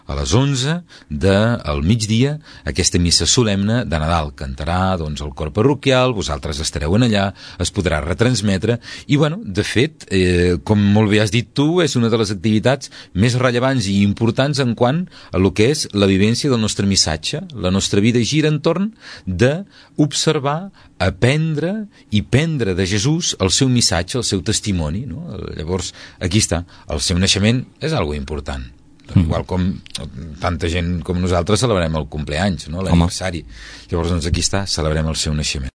a les 11 del migdia, aquesta missa solemne de Nadal. Cantarà doncs el cor parroquial, vosaltres estareu en allà, es podrà retransmetre i bueno, de fet, com molt bé has dit tu, és una de les activitats més rellevants i importants en quant a lo que és la vivència del nostre missatge. La nostra vida gira entorn d'observar, aprendre i prendre de Jesús el seu missatge, el seu testimoni, no? Llavors, aquí està, el seu naixement és algo important. Igual com tanta gent com nosaltres celebrem el compleanys, no? L'aniversari. Llavors, doncs aquí està, celebrem el seu naixement.